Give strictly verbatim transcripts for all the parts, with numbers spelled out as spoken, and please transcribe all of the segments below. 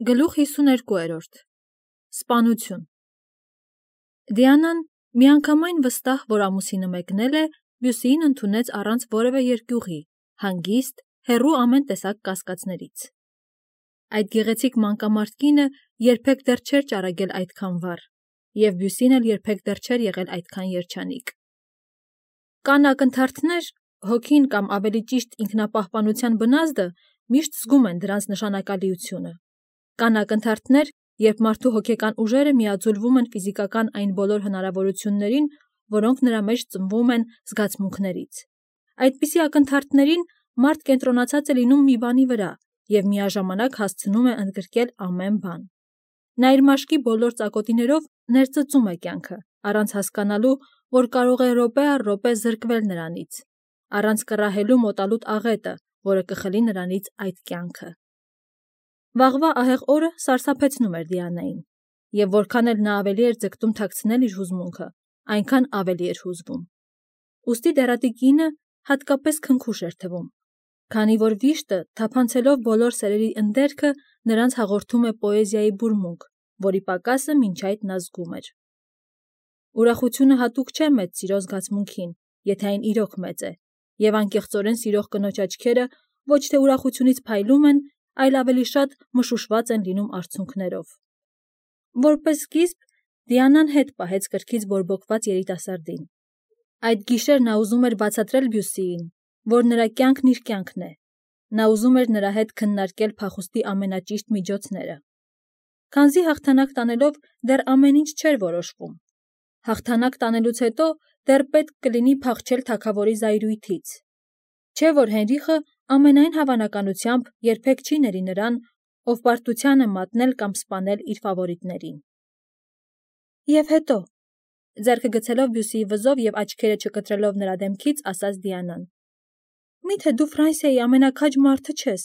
Գլուխ հիսուներկուերորդ Սպանություն Դիանան միանգամայն վստահ, որ ամուսինը մեկնել է, Բյուսիին ընդունեց առանց որևէ երկյուղի, հանգիստ, հեռու ամեն տեսակ կասկածներից։ Այդ գեղեցիկ մանկամարդ կինը երբեք դեռ չէր ճարագել այդքան վառ, և Բյուսին էլ երբեք դեռ չէր եղել այդքան երջանիկ։ Կան ակնթարթներ, հոգին կամ ավելի ճիշտ ինքնապահպանության բնազդը միշտ զգում են դրանց նշանակալիությունը։ Կան ակնթարթներ, երբ մարդու հոգեկան ուժերը միաձուլվում են ֆիզիկական այն բոլոր հնարավորություններին, որոնք նրա մեջ ծնվում են զգացմունքներից։ Այդպիսի ակնթարթներին մարդ կենտրոնացած է լինում մի բանի վրա և միաժամանակ հասցնում է ընդգրկել ամեն բան։ Նա իր մաշկի բոլոր ծակոտիներով ներծծում է կյանքը, առանց հասկանալու, որ կարող է րոպե առ րոպե զրկվել նրանից, առանց կռահելու մոտալուտ աղետը, որը կխլի նրանից այդ կյանքը։ Վաղվա ահեղ օրը սարսափեցնում էր Դիանային, և որքան էլ նա ավելի էր ձգտում թաքցնել իր հուզմունքը, այնքան ավելի էր հուզվում։ Ուստի դեռատի կինը հատկապես քնքուշ էր թվում, քանի որ վիշտը, թափանցելով բոլոր սերերի ընդերքը, նրանց հաղորդում է պոեզիայի բուրմունք, որի պակասը մինչ այդ նա զգում էր։ Ուրախությունը հատուկ չէ մեծ սիրո զգացմունքին, եթե այն իրոք մեծ է, և անկեղծորեն սիրող կնոջ աչքերը ոչ թե ուրախությունից փայլում են, այլ ավելի շատ մշուշված են լինում արցունքներով։ Որպես սկիզբ, Դիանան հետ պահեց կրքից բորբոքված երիտասարդին։ Այդ գիշեր նա ուզում էր բացատրել Բյուսիին, որ նրա կյանքն իր կյանքն է։ Նա ուզում էր նրա հետ քննարկել փախուստի ամենաճիշտ միջոցները։ Քանզի հաղթանակ տանելով դեռ ամեն ինչ չէր որոշվում։ Հաղթանակ տանելուց հետո դեռ պետք կլինի փախչել թագավորի զայրույթից։ Չէ՞ որ Հենրիխը ամենայն հավանականությամբ երբեք չի ների նրան, ով պարտության է մատնել կամ սպանել իր ֆավորիտներին։ Եվ հետո, ձեռքը գցելով Բյուսիի վզով և աչքերը չկտրելով նրա դեմքից, ասաց Դիանան. Մի՞թե դու Ֆրանսիայի ամենաքաջ մարդը չես։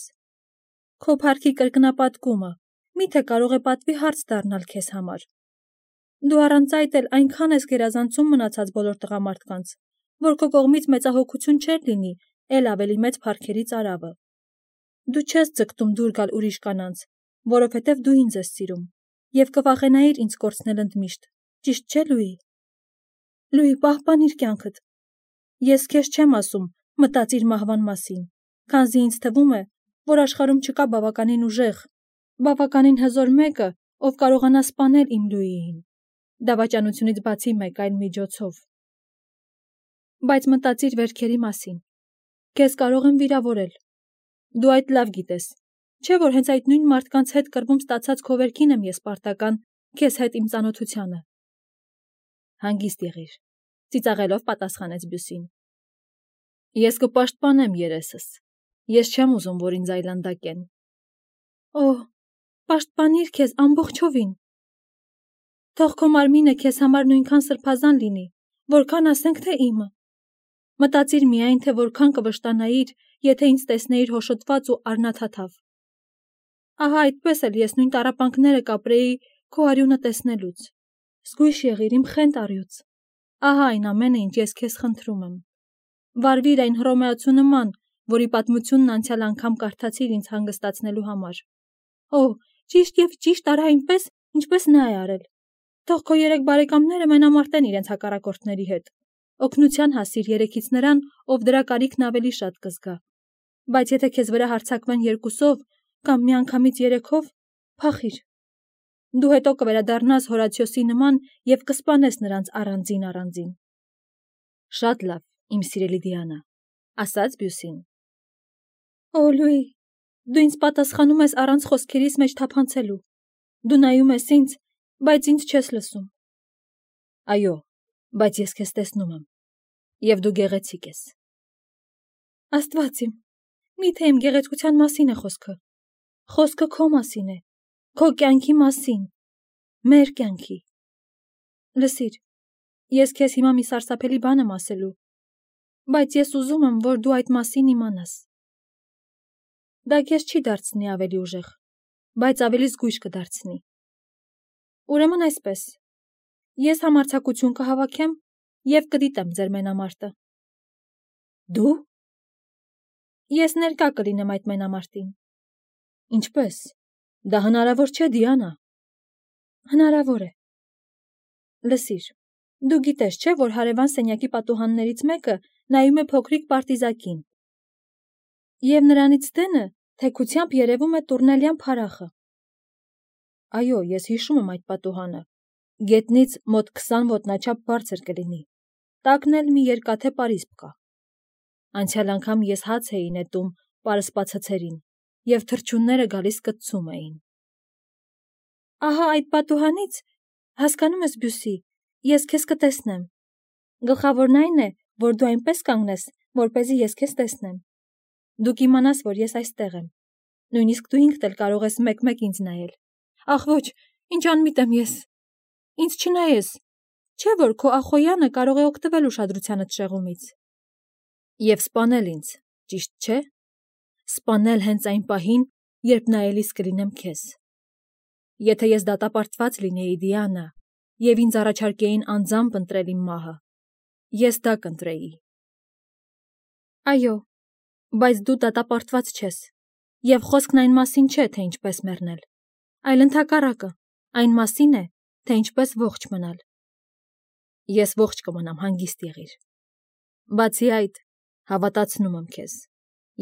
Քո փառքի կրկնապատկումը մի՞թե կարող է պատվի հարց դառնալ քեզ համար։ Դու առանց այդ էլ այնքան ես գերազանցում մնացած բոլոր տղամարդկանց, որ քո կողմից մեծահոգություն չէր լինի էլ ավելի մեծ փառքերի ծարավը։ Դու չես ձգտում դուր գալ ուրիշ կանանց, որովհետև դու ինձ ես սիրում, և կվախենայիր ինձ կորցնել ընդմիշտ, ճիշտ չէ՞ Լուի։ Լուի, պահպանիր կյանքդ։ Ես քեզ չեմ ասում մտածիր մահվան մասին, քանզի ինձ թվում է, որ աշխարհում չկա բավականին ուժեղ, բավականին հզոր մեկը, ով կարողանա սպանել իմ Լուիին, դավաճանությունից բացի մեկ այլ միջոցով։ Բայց մտածիր վերքերի մասին։ Քեզ կարող եմ վիրավորել։ Դու այդ լավ գիտես, չէ՞ որ հենց այդ նույն մարդկանց հետ կռվում ստացած քո վերքին եմ ես պարտական քեզ հետ իմ ծանոթությանը։ Հանգիստ եղիր, ծիծաղելով պատասխանեց Բյուսին։ Ես կպաշտպանեմ երեսս։ Ես չեմ ուզում, որ ինձ այլանդակեն։ Օհ, պաշտպանիր քեզ ամբողջովին։ Թող քո մարմինը քեզ համար նույնքան սրբազան լինի, որքան ասենք թե իմը։ Մտածիր միայն, թե որքան կվշտանայիր, եթե ինձ տեսնեիր հոշոտված ու առնաթաթավ։ Ահա այդպես էլ ես նույն տառապանքները կապրեի քո արյունը տեսնելուց։ Զգույշ եղիր իմ խենթ առյուծ։ Ահա այն ամենը, ինչ ես քեզ խնդրում եմ։ Վարվիր այն Հռոմեացու նման, որի պատմությունն անցյալ անգամ կարդացիր ինձ հանգստացնելու համար։ Օհ, ճիշտ և ճիշտ արա այնպես, ինչպես նա է արել։ Թող քո երեք բարեկամները մենամարտեն իրենց հակառակորդների հետ։ Օգնության հասիր երեքից նրան, ով դրա կարիքն ավելի շատ կզգա։ Բայց եթե քեզ վրա հարձակվեն երկուսով կամ միանգամից երեքով, փախիր։ Դու հետո կվերադառնաս Հորացիոսի նման և կսպանես նրանց առանձին առանձին։ Շատ լավ, իմ սիրելի Դիանա, ասաց Բյուսին։ Օ Լուի, դու ինձ պատասխանում ես առանց խոսքերիս մեջ թափանցելու։ Դու նայում ես ինձ, բայց ինձ չես լսում։ Այո, բայց ես քեզ տեսնում եմ, և դու գեղեցիկ ես։ Աստված իմ, մի՞թե իմ գեղեցկության մասին է խոսքը։ Խոսքը քո մասին է, քո կյանքի մասին, մեր կյանքի։ Լսիր, ես քեզ հիմա մի սարսափելի բան եմ ասելու, բայց ես ուզում եմ, որ դու այդ մասին իմանաս։ Դա քեզ չի դարձնի ավելի ուժեղ, բայց ավելի զգույշ կդարձնի։ Ուրեմն այսպես, ես համարձակություն կհավաքեմ և կդիտեմ ձեր մենամարտը։ Դու։ Ես ներկա կլինեմ այդ մենամարտին։ Ինչպե՞ս։ Դա հնարավոր չէ, Դիանա։ Հնարավոր է։ Լսիր, դու գիտես, չէ, որ հարևան սենյակի պատուհաններից մեկը նայում է փոքրիկ պարտիզակին։ Եվ նրանից դենը թեքությամբ երևում է տուրնելյան փարախը։ Այո, ես հիշում եմ այդ պատուհանը։ Գետնից մոտ քսան ոտնաչափ բարձր կլինի։ Տակն էլ մի երկաթե պարիսպ կա։ Անցյալ անգամ ես հաց էի նետում պարսպացցերին, և թռչունները գալիս կծում էին։ Ահա այդ պատուհանից, հասկանում ես, Բյուսի, ես քեզ կտեսնեմ։ Գլխավորն այն է, որ դու այնպես կանգնես, որպեսզի ես քեզ տեսնեմ։ Դու կիմանաս, որ ես այստեղ եմ։ Նույնիսկ դու ինքդ էլ կարող ես մեկ-մեկ ինձ նայել։ Ախ ոչ, ինչ անմիտ եմ ես։ Ինձ չնայես, չէ՞ որ քո ախոյանը կարող է օգտվել ուշադրությանդ շեղումից։ Եվ սպանել ինձ, ճիշտ չէ՞։ Սպանել հենց այն պահին, երբ նայելիս կլինեմ քեզ։ Եթե ես դատապարտված լինեի, Դիանա, և ինձ առաջարկեին անձամբ ընտրել իմ մահը, ես դա կընտրեի։ Այո, բայց դու դատապարտված չես, և խոսքն այն մասին չէ, թե ինչպես մեռնել, այլ ընդհակառակը, այն մասին է, թե ինչպես ողջ մնալ։ Ես ողջ կմնամ, հանգիստ եղիր։ Բացի այդ, հավատացնում եմ քեզ,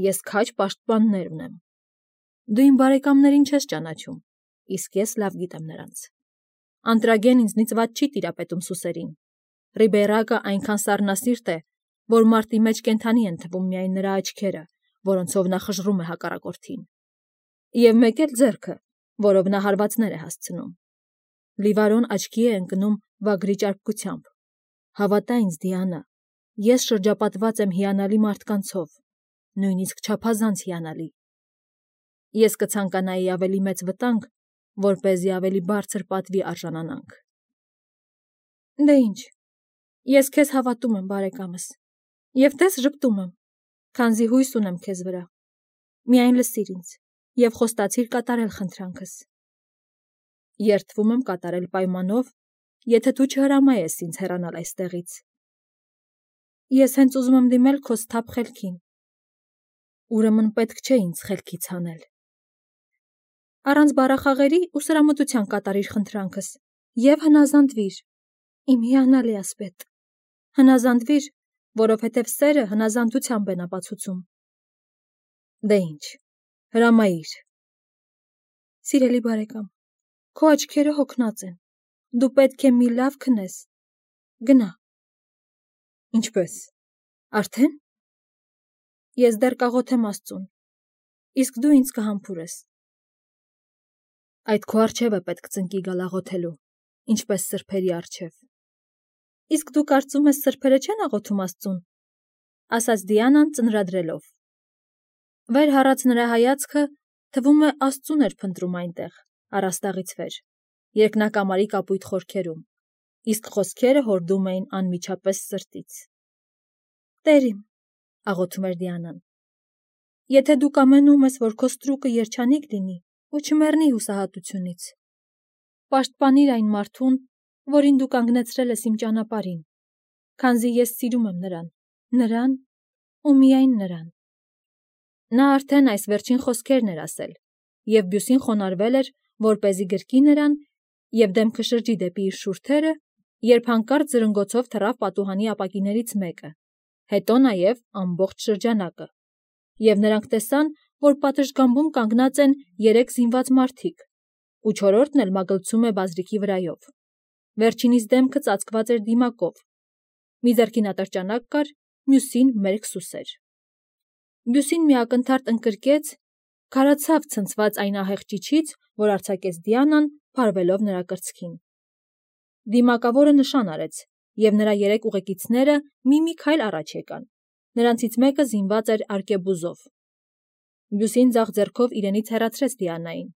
ես քաջ պաշտպաններ ունեմ։ Դու իմ բարեկամներին չես ճանաչում, իսկ ես լավ գիտեմ նրանց։ Անտրագեն ինձնից վատ չի տիրապետում սուսերին։ Ռիբերակը այնքան սառնասիրտ է, որ մարտի մեջ կենդանի են թվում միայն նրա աչքերը, որոնցով նա խժռում է հակառակորդին։ Եվ մեկ էլ ձեռքը, որով նա հարվածներ է հասցնում։ Լիվարոն աչքի է ընկնում վագրի ճարպկությամբ։ Հավատա ինձ, Դիանա, ես շրջապատված եմ հիանալի մարդկանցով, նույնիսկ չափազանց հիանալի։ Ես կցանկանայի ավելի մեծ վտանգ, որպեսզի ավելի բարձր պատվի արժանանանք։ Դե ինչ, ես քեզ հավատում եմ, բարեկամս, և տես ժպտում եմ, քանզի հույս ունեմ քեզ վրա։ Միայն լսիր ինձ և խոստացիր կատարել խնդրանքս։ Երդվում եմ կատարել պայմանով, եթե դու չհրամայես ինձ հեռանալ այստեղից։ Ես հենց ուզում եմ դիմել քո սթափ խելքին։ Ուրեմն պետք չէ ինձ խելքից հանել։ Առանց բառախաղերի ու սրամտության կատարիր խնդրանքս և հնազանդվիր, իմ հիանալի ասպետ։ Հնազանդվիր, որովհետև սերը հնազանդությամբ են ապացուցում։ Դե ինչ, հրամայիր։ Սիրելի բարեկամ, քո աչքերը հոգնած են։ Դու պետք է մի լավ քնես։ Գնա։ Ինչպես։ Արդեն։ Ես դեռ կաղոթեմ Աստծուն, իսկ դու ինձ կհամբուրես։ Այդ քո առջև է պետք ծնկի գալ աղոթելու, ինչպես սրբերի առջև։ Իսկ դու կարծում ես սրբերը չեն աղոթում Աստծուն, ասաց Դիանան ծնրադրելով։ Վեր հառաց նրա հայացքը, թվում է Աստծուն էր փնտրում այնտեղ, առաստաղից վեր, երկնակամարի կապույտ խորքերում, իսկ խոսքերը հորդում էին անմիջապես սրտից։ Տեր իմ, աղոթում էր Դիանան, եթե դու կամենում ես, որ քո ստրուկը երջանիկ լինի ու չմեռնի հուսահատությունից, պաշտպանիր այն մարդուն, որին դու կանգնեցրել ես իմ ճանապարհին, քանզի ես սիրում եմ նրան, նրան ու միայն նրան։ Նա արդեն այս վերջին խոսքերն էր ասել, և Բյուսին խոնարհվել էր, որպեսզի գրկի նրան, և դեմքը շրջի դեպի իր շուրթերը, երբ հանկարծ զրնգոցով թռավ պատուհանի ապակիներից մեկը, հետո նաև ամբողջ շրջանակը, և նրանք տեսան, որ պատշգամբում կանգնած են երեք զինված մարդիկ, ու չորրորդն էլ մագլցում է բազրիքի վրայով։ Վերջինիս դեմքը ծածկված էր դիմակով, մի ձեռքին ատրճանակ կար, մյուսին մերկ սուսեր։ Բյուսին մի ակնթարթ ընկրկեց, քարացավ ցնցված այն ահեղ ճիչից, որ արձակեց Դիանան, փարվելով նրա կրծքին։ Դիմակավորը նշան արեց, և նրա երեք ուղեկիցները մի-մի քայլ առաջ եկան։ Նրանցից մեկը զինված էր արկեբուզով։ Բյուսին ձախ ձեռքով իրենից հեռացրեց Դիանային,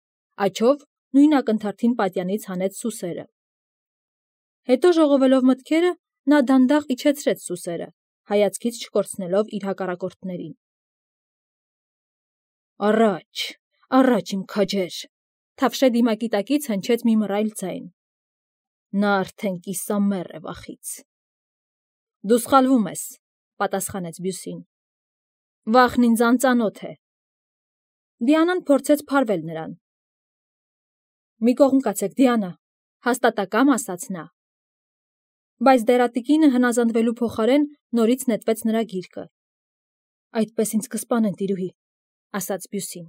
աջով նույն ակնթարթին պատյանից հանեց սուսերը։ Հետո ժողովելով մտքերը, նա դանդաղ իջեցրեց սուսերը, հայացքից չկորցնելով իր հակառակորդներին։ Առաջ, առաջ իմ քաջեր, թավշե դիմակի տակից հնչեց մի մռայլ ձայն։ Նա արդեն կիսամեռ է վախից։ Դու սխալվում ես, պատասխանեց Բյուսին։ Վախն ինձ անծանոթ է։ Դիանան փորձեց փարվել նրան, Մի կողմ կացեք, Դիանա, հաստատակամ ասաց նա։ Բայց դերատիկինը հնազանդվելու փոխարեն նորից նետվեց նրա գիրկը։ Այդպես ինձ կսպանեն, տիրուհի, ասաց Բյուսին։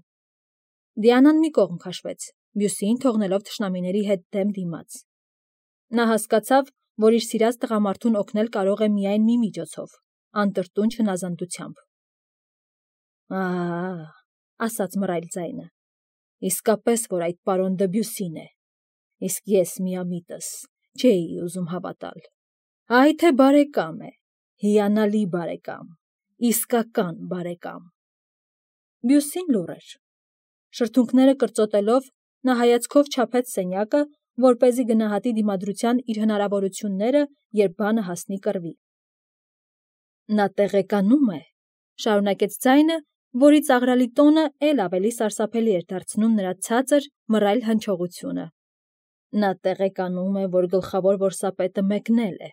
Դիանան մի կողմ քաշվեց, Բյուսիին թողնելով թշնամիների հետ դեմ դիմաց։ Նա հասկացավ, որ իր սիրած տղամարդուն օգնել կարող է միայն մի միջոցով, անտրտունջ հնազանդությամբ։ Ահա, ասաց մռայլ ձայնը, իսկապես, որ այդ պարոն Դբյուսին է, իսկ ես միամիտս չէի ուզում հավատալ։ Այ թե բարեկամ է, հիանալի բարեկամ, իսկական բարեկամ։ Բյուսին լուռ էր։ Շրթունքները կրծոտելով, նա հայացքով չափեց սենյակը, որպեսզի գնահատի դիմադրության իր հնարավորությունները, երբ բանը հասնի կռվի։ Նա տեղեկանում է, շարունակեց ձայնը, որի ծաղրալի տոնը էլ ավելի սարսափելի էր դարձնում նրա ցածր, մռայլ հնչողությունը։ Նա տեղեկանում է, որ գլխավոր որսապետը մեկնել է,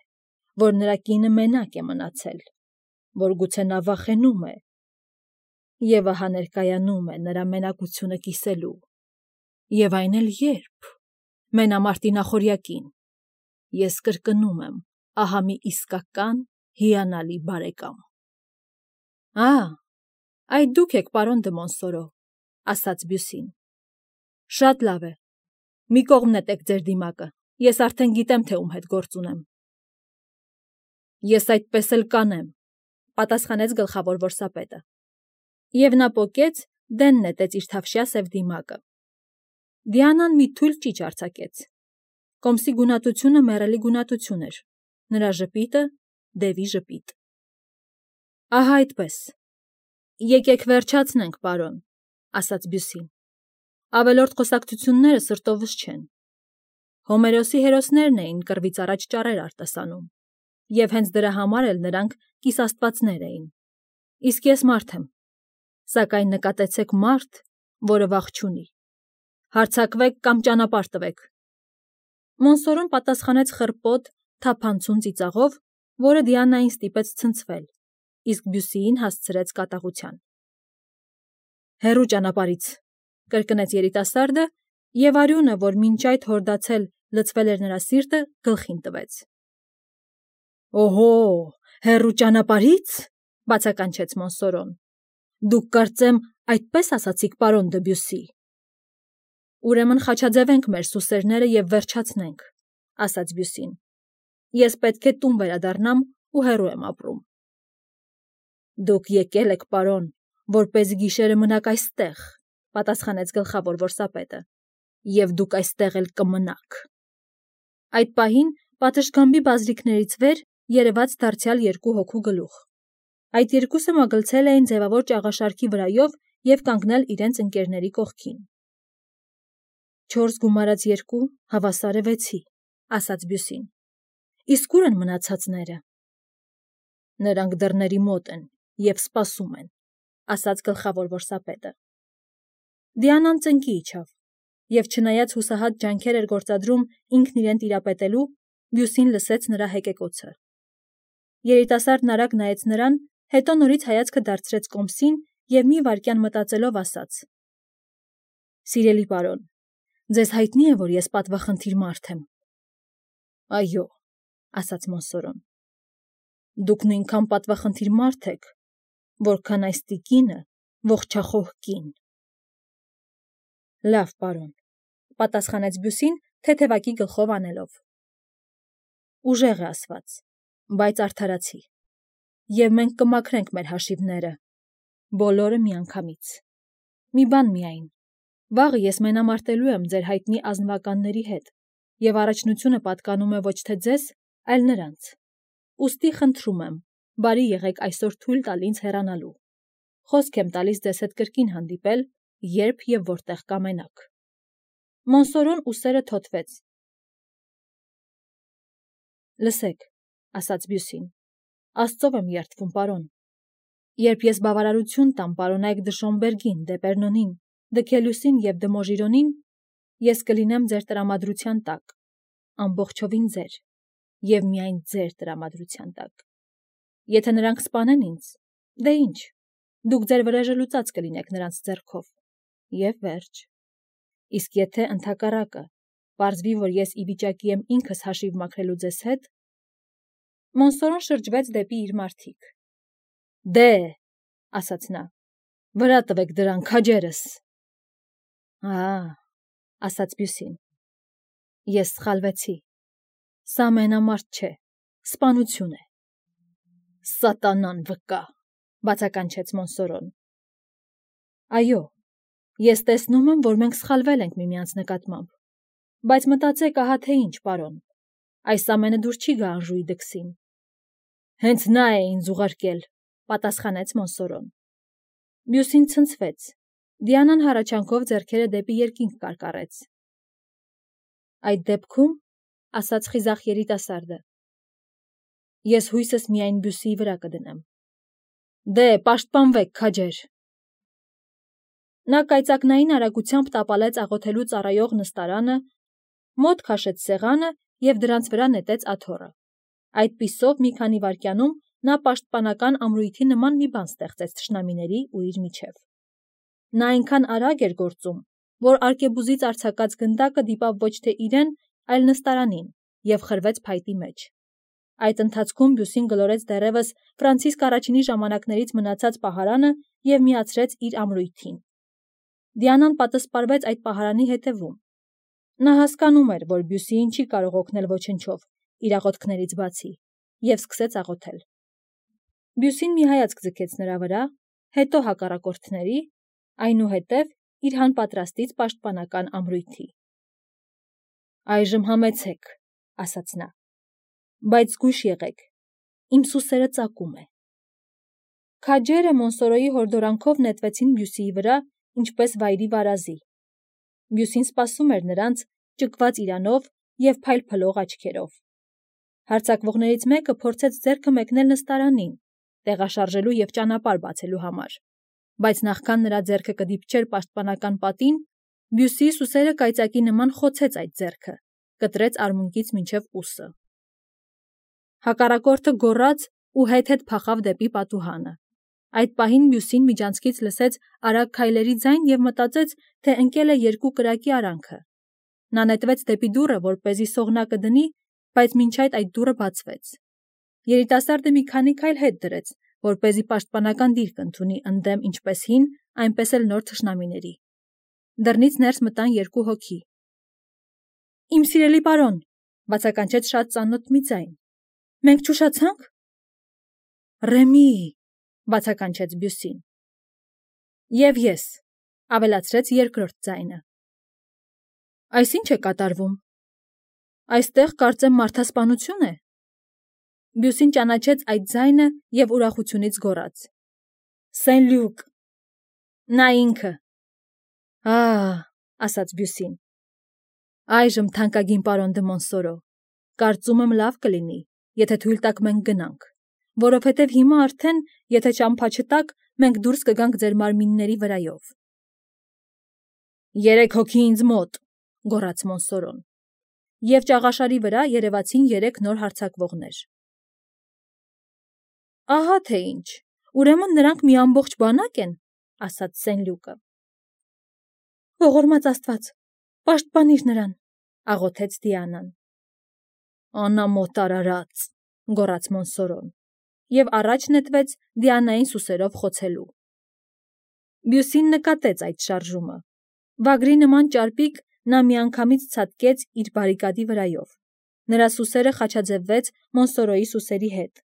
որ նրա կինը մենակ է մնացել, որ գուցե նա վախենում է, և ահա ներկայանում է նրա մենակությունը կիսելու, և այն էլ երբ, մենամարտի նախօրյակին, ես կրկնում եմ, ահա մի իսկական, հիանալի բարեկամ։ Ա, այդ դուք եք, պարոն դը Մոնսորո, ասաց Բյուսին։ Շատ լավ է, մի կողմ նետեք ձեր դիմակը, ես արդեն գիտեմ, թե ում հետ գործ ունեմ։ Ես այդպես էլ կանեմ, պատասխանեց գլխավոր որսապետը։ Եվ նա պոկեց, դեն նետեց իր թավշյա սև դիմակը։ Դիանան մի թույլ ճիչ արձակեց։ Կոմսի գունատությունը մեռելի գունատություն էր, նրա ժպիտը դևի ժպիտ։ Ահա այդպես։ Եկեք վերջացնենք, պարոն, ասաց Բյուսին։ Ավելորդ խոսակցությունները սրտովս չեն։ Հոմերոսի հերոսներն էին կռվից առաջ ճառեր արտասանում, և հենց դրա համար էլ նրանք կիսաստվածներ էին։ Իսկ ես մարդ եմ, սակայն նկատեցեք մարդ, որը վախ չունի։ Հարձակվեք կամ ճանապարհ տվեք։ Մոնսորոն պատասխանեց խռպոտ, թափանցուն ծիծաղով, որը Դիանային ստիպեց ցնցվել, իսկ Բյուսիին հասցրեց կատաղության։ Հեռու ճանապարհից, կրկնեց երիտասարդը, և արյունը, որ մինչ այդ հորդացել լցվել էր նրա սիրտը, գլխին տվեց։ Օհո, հեռու ճանապարհից, բացականչեց Մոնսորոն։ Դուք կարծեմ այդպես ասացիք, պարոն Դբյուսի։ Ուրեմն խաչաձևենք մեր սուսերները և վերջացնենք, ասաց Բյուսին։ Ես պետք է տուն վերադառնամ ու հեռու եմ ապրում։ Դուք եկել եք, պարոն, որպեսզի գիշերը մնաք այստեղ, պատասխանեց գլխավոր որսապետը, և դուք այստեղ էլ կմնաք։ Այդ պահին պատշգամբի բազրիքներից վեր երևաց դարձյալ երկու հոգու գլուխ։ Այդ երկուսը մագլցել էին ձևավոր ճաղաշարքի վրայով և կանգնել իրենց ընկերների կողքին։ Չորս գումարած երկու հավասար է վեցի, ասաց Բյուսին։ Իսկ ուր են մնացածները։ Նրանք դռների մոտ են և սպասում են, ասաց գլխավոր որսապետը։ Դիանան ծնկի իջավ, և չնայած հուսահատ ջանքեր էր գործադրում ինքն իրեն տիրապետելու, Բյուսին լսեց նրա հեկեկոցը։ Երիտասարդն արագ նայեց նրան, հետո նորից հայացքը դարձրեց Կոմսին և մի վայրկյան մտածելով ասաց. Սիրելի պարոն, ձեզ հայտնի է, որ ես պատվախնդիր մարդ եմ։ Այո, ասաց Մոնսորոն։ Դուք նույնքան պատվախնդիր մարդ եք, որքան այս տիկինը ողջախոհ կին։ Լավ, պարոն, պատասխանեց Բյուսին, թեթևակի գլխով անելով։ Ուժեղ է ասված, բայց արդարացի, և մենք կմաքրենք մեր հաշիվները, բոլորը միանգամից։ Մի բան միայն, վաղը ես մենամարտելու եմ ձեր հայտնի ազնվականների հետ, և առաջնությունը պատկանում է ոչ թե ձեզ, այլ նրանց։ Ուստի խնդրում եմ, բարի եղեք այսօր թույլ տալ ինձ հեռանալու։ Խոսք եմ տալիս ձեզ հետ կրկին հանդիպել, երբ և որտեղ կամենաք։ Մոնսորոն ուսերը թոթվեց։ Լսեք, ասաց Բյուսին, Աստծով եմ երդվում, պարոն։ Երբ ես բավարարություն տամ պարոնայք դը Շոմբերգին, դե Պերնոնին, դը Քելյուսին և դը Մոժիրոնին, ես կլինեմ ձեր տրամադրության տակ, ամբողջովին ձեր, և միայն ձեր տրամադրության տակ։ Եթե նրանք սպանեն ինձ, դե ինչ, դուք ձեր վրեժը լուծած կլինեք նրանց ձեռքով, և վերջ։ իսկ եթե ընդհակառակը պարզվի, որ ես ի վիճակի եմ ինքս հաշիվ մաքրելու ձեզ հետ, Մոնսորոն շրջվեց դեպի իր մարդիկ։ Դե, ասաց նա, վրա տվեք դրան քաջերս։ Ա, ասաց Բյուսին, ես սխալվեցի, սա մենամարտ չէ, սպանություն է։ Սատանան վկա, բացականչեց Մոնսորոն։ Այո, ես տեսնում եմ, որ մենք սխալվել ենք միմյանց նկատմամբ, բայց մտածեք ահա թե ինչ, պարոն, այս ամենը դուր չի գա Անժուի դքսին։ Հենց նա է ինձ ուղարկել, պատասխանեց Մոնսորոն։ Բյուսին ցնցվեց, Դիանան հառաչանքով ձեռքերը դեպի երկինք կարկառեց։ Այդ դեպքում, ասաց խիզախ երիտասարդը, ես հույսս միայն Բյուսիի վրա կդնեմ։ Դե, պաշտպանվեք, քաջեր։ Նա կայծակնային արագությամբ տապալեց աղոթելու ծառայող նստարանը, մոտ քաշեց սեղանը և դրանց վրա նետեց աթոռը։ Այդպիսով մի քանի վայրկյանում նա պաշտպանական ամրույթի նման մի բան ստեղծեց թշնամիների ու իր միջև։ Նա այնքան արագ էր գործում, որ արկեբուզից արձակած գնդակը դիպավ ոչ թե իրեն, այլ նստարանին և խրվեց փայտի մեջ։ Այդ ընթացքում Բյուսին գլորեց դեռևս Ֆրանցիսկ առաջինի ժամանակներից մնացած պահարանը և միացրեց իր ամրույթին։ Դիանան պատսպարվեց այդ պահարանի հետևում։ Նա հասկանում էր, որ Բյուսիին չի կարող օգնել ոչնչով, իր աղոթքներից բացի, և սկսեց աղոթել։ Բյուսին մի հայացք ձգեց նրա վրա, հետո հակառակորդների, այնուհետև իր հանպատրաստից պաշտպանական ամրույթի։ Այժմ համեցեք, ասաց նա, բայց զգույշ եղեք, իմ սուսերը ծակում է։ Քաջերը Մոնսորոյի հորդորանքով նետվեցին Բյուսիի վրա, ինչպես վայրի վարազի։ Բյուսին սպասում էր նրանց, ճկված իրանով և փայլփլող աչքերով։ Հարձակվողներից մեկը փորձեց ձեռքը մեկնել նստարանին, տեղաշարժելու և ճանապարհ բացելու համար, բայց նախքան նրա ձեռքը կդիպչեր պաշտպանական պատին, Բյուսիի սուսերը կայծակի նման խոցեց այդ ձեռքը, կտրեց արմունկից մինչև ուսը։ Հակառակորդը գոռաց ու հետ-հետ փախավ դեպի պատուհանը։ Այդ պահին Բյուսին միջանցքից լսեց արագ քայլերի ձայն և մտածեց, թե ընկել է երկու կրակի արանքը։ Նա նետվեց դեպի դուռը, որպեսզի սողնակը դնի, բայց մինչ այդ այդ դուռը բացվեց։ Երիտասարդը մի քանի քայլ հետ դրեց, որպեսզի պաշտպանական դիրք ընդունի ընդդեմ ինչպես հին, այնպես էլ նոր թշնամիների։ Դռնից ներս մտան երկու հոգի։ Իմ սիրելի պարոն, բացականչեց շատ ծանոթ մի ձայն։ Մենք չուշացա՞նք։ Ռեմի, բացականչեց Բյուսին։ Եվ ես, ավելացրեց երկրորդ ձայնը։ Այս ինչ է կատարվում։ Այստեղ կարծեմ մարդասպանություն է։ Բյուսին ճանաչեց այդ ձայնը և ուրախությունից գոռաց. Սեն-Լյուկ։ Նա ինքը։ Ա, ասաց Բյուսին։ Այժմ թանկագին պարոն դը Մոնսորո, կարծում եմ լավ կլինի, եթե թույլ տաք մենք գնանք, որովհետև հիմա արդեն, եթե ճամփա չտաք, մենք դուրս կգանք ձեր մարմինների վրայով։ Երեք հոգի ինձ մոտ, գոռաց Մոնսորոն, և ճաղաշարի վրա երևացին երեք նոր հարձակվողներ։ Ահա թե ինչ, ուրեմն նրանք մի ամբողջ բանակ են, ասաց Սեն-Լյուկը։ Ողորմած Աստված, պաշտպանիր նրան, աղոթեց Դիանան։ Անամոթ արարած, գոռաց Մոնսորոն, և առաջ նետվեց Դիանային սուսերով խոցելու։ Բյուսին նկատեց այդ շարժումը։ Վագրի նման ճարպիկ նա միանգամից ցատկեց իր բարիկադի վրայով։ Նրա սուսերը խաչաձևվեց Մոնսորոյի սուսերի հետ։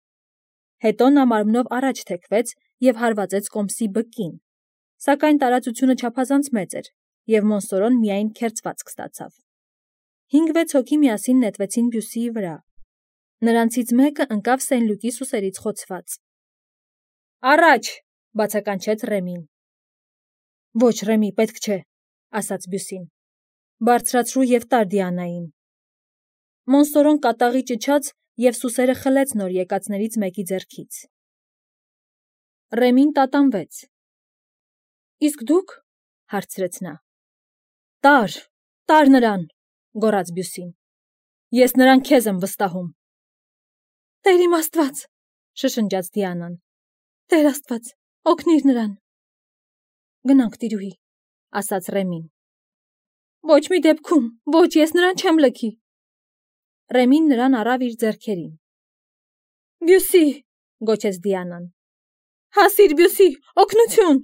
Հետո նա մարմնով առաջ թեքվեց և հարվածեց կոմսի բկին, սակայն տարածությունը չափազանց մեծ էր, և Մոնսորոն միայն քերծվածք ստացավ։ Հինգ-վեց հոգի միասին նետվեցին Բյուսիի վրա։ Նրանցից մեկը ընկավ Սեն-Լյուկի սուսերից խոցված։ Առաջ, բացականչեց Ռեմին։ Ոչ, Ռեմի, պետք չէ, ասաց Բյուսին։ Բարձրացրու և տար Դիանային։ Մոնսորոն կատաղի ճչաց և սուսերը խլեց նոր եկածներից մեկի ձեռքից։ Ռեմին տատանվեց։ Իսկ դուք, հարցրեց նա։ Տար, տար նրան, գոռաց Բյուսին։ Ես նրան քեզ եմ վստահում։ Տեր իմ Աստված, շշնջաց Դիանան։ Տեր Աստված, օգնիր նրան։ Գնանք, տիրուհի, ասաց Ռեմին։ Ոչ մի դեպքում, ոչ, ես նրան չեմ լքի։ Ռեմին նրան առավ իր ձեռքերին։ Բյուսի, գոչեց Դիանան։ Հասիր, Բյուսի, օգնություն։